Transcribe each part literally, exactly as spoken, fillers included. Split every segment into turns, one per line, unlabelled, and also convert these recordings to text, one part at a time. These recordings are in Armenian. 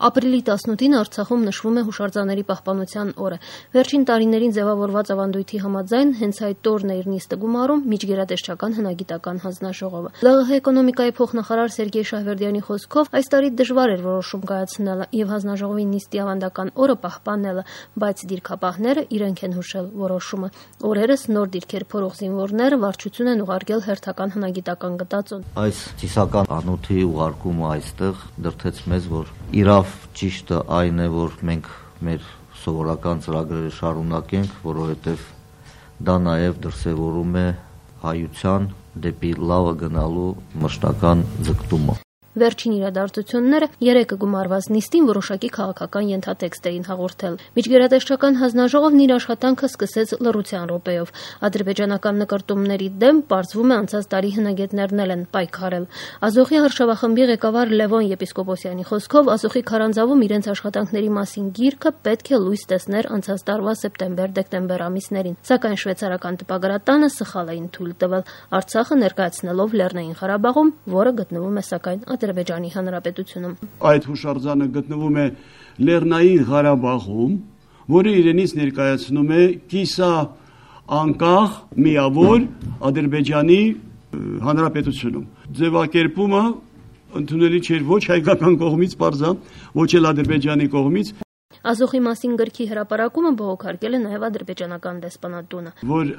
Ապրիլի տասնութին Արցախում նշվում է հուշարձանների պահպանության օրը։ Վերջին տարիներին ձևավորված ավանդույթի համաձայն հենց այդ օրն է իր նիստը գումարում միջգերատեսչական հնագիտական հանձնաժողովը։ ԼՂՀ էկոնոմիկայի փոխնախարար Սերգեյ Շահվերդյանի խոսքով այս տարի դժվար էր որոշում կայացնելը եւ հանձնաժողովի նիստի ավանդական օրը պահպանելը, բայց դիրքապահները իրենք են հուշել որոշումը։ Օրերս նոր դիրքեր փորող զինվորները վարչություն են ուղարկել հերթական հնագիտական գտածոն։
Այս ծիսական անոթի ուղարկումը այստեղ դրդեց մեզ, որ իրավ ճիշտը այն է, որ մենք մեր սովորական ծրագրերը շարունակենք, որովհետև դա նաև դրսևորում է հայության դեպի լավը գնալու մշտական ձգտումը։
Վերջին իրադարձությունները երեկը գումարված նիստին որոշակի քաղաքական ենթատեքստ էին հաղորդել։ Միջգերատեսչական հանձնաժողովն իր աշխատանքը սկսեց լռության րոպեով։ Ադրբեջանական նկարտումների դեմ պարզվում է անցած տարի հնագետներն էլ են պայքարել։ Ազոխի հարշավախմբի ղեկավար Լևոն Եպիսկոպոսյանի խոսքով Ազոխի քարանձավում իրենց աշխատանքների մասին գիրքը պետք է լույս տեսներ անցած տարվա սեպտեմբեր-դեկտեմբեր ամիսներին, սակայն շվեյցարական տպագրատանը սխալ էին թույլ տվել Արցախը ներկայացնելով Լեռնային Ղարաբաղում, որը գտնվում է սակայն Ադրբեջանի Հանրապետությունում։
Այդ հուշարձանը գտնվում է Լեռնային Ղարաբաղում, որը իրենից ներկայացնում է կիսա անկախ միավոր Ադրբեջանի Հանրապետությունում։ Ձևակերպումը ընդունելի չէր ոչ հայկական կողմից պարզա, ոչ էլ Ադրբեջանի կողմից։
Ազոխի մասին գրքի հրապարակումը բողոքարկել է նաև ադրբեջանական դեսպանատունը,
որ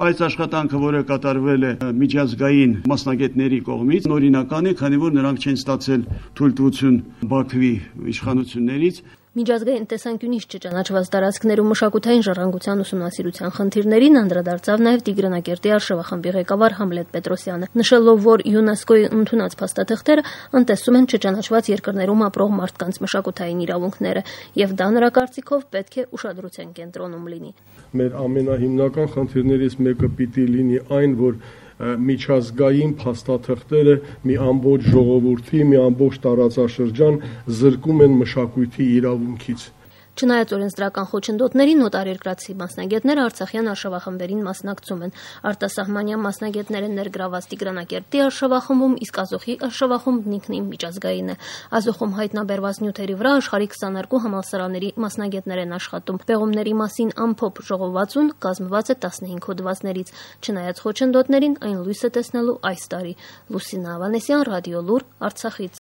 այս աշխատանքը, որը կատարվել է միջազգային մասնագետների կողմից, նորինական է, քանի որ նրանք չեն ստացել թույլտվություն Բաքվի իշխանություններից։
Միջազգային տեսանկյունից չճանաչված տարածքներում մշակութային ժառանգության ուսումնասիրության խնդիրներին անդրադարձավ նաև Տիգրանակերտի արշավախմբի ղեկավար Համլետ Պետրոսյանը, նշելով, որ ՅՈՒՆԵՍԿՕ-ի ընդունած փաստաթղթերը անտեսում են չճանաչված երկրներում ապրող մարդկանց մշակութային իրավունքները, եւ դա նրա կարծիքով պետք է ուշադրության կենտրոնում լինի։
Մեր ամենահիմնական խնդիրներից մեկը պիտի լինի այն, որ միջազգային փաստաթղթերը մի ամբողջ ժողովրդի, մի ամբողջ տարածաշրջան զրկում են մշակույթի իրավունքից։
Չնայած օրենսդրական խոչընդոտներին նոտարերկրացի մասնագետները Արցախյան արշավախմբերին մասնակցում են։ Արտասահմանյան մասնագետներ են ներգրաված Տիգրանակերտի արշավախմբում, իսկ Ազոխի արշավախումբն ինքնին միջազգային է։ Ազոխում հայտնաբերված նյութերի վրա աշխարհի քսաներկու համալսարանների մասնագետներ են աշխատում։ Պեղումների մասին ամփոփ ժողովածուն կազմված է տասնհինգ հոդվածներից։ Չնայած խոչընդոտներին այն լույս է տեսնելու այս տարի։ Լուսինա Ավանեսյան, Ռադիո Լուր, Արցախից։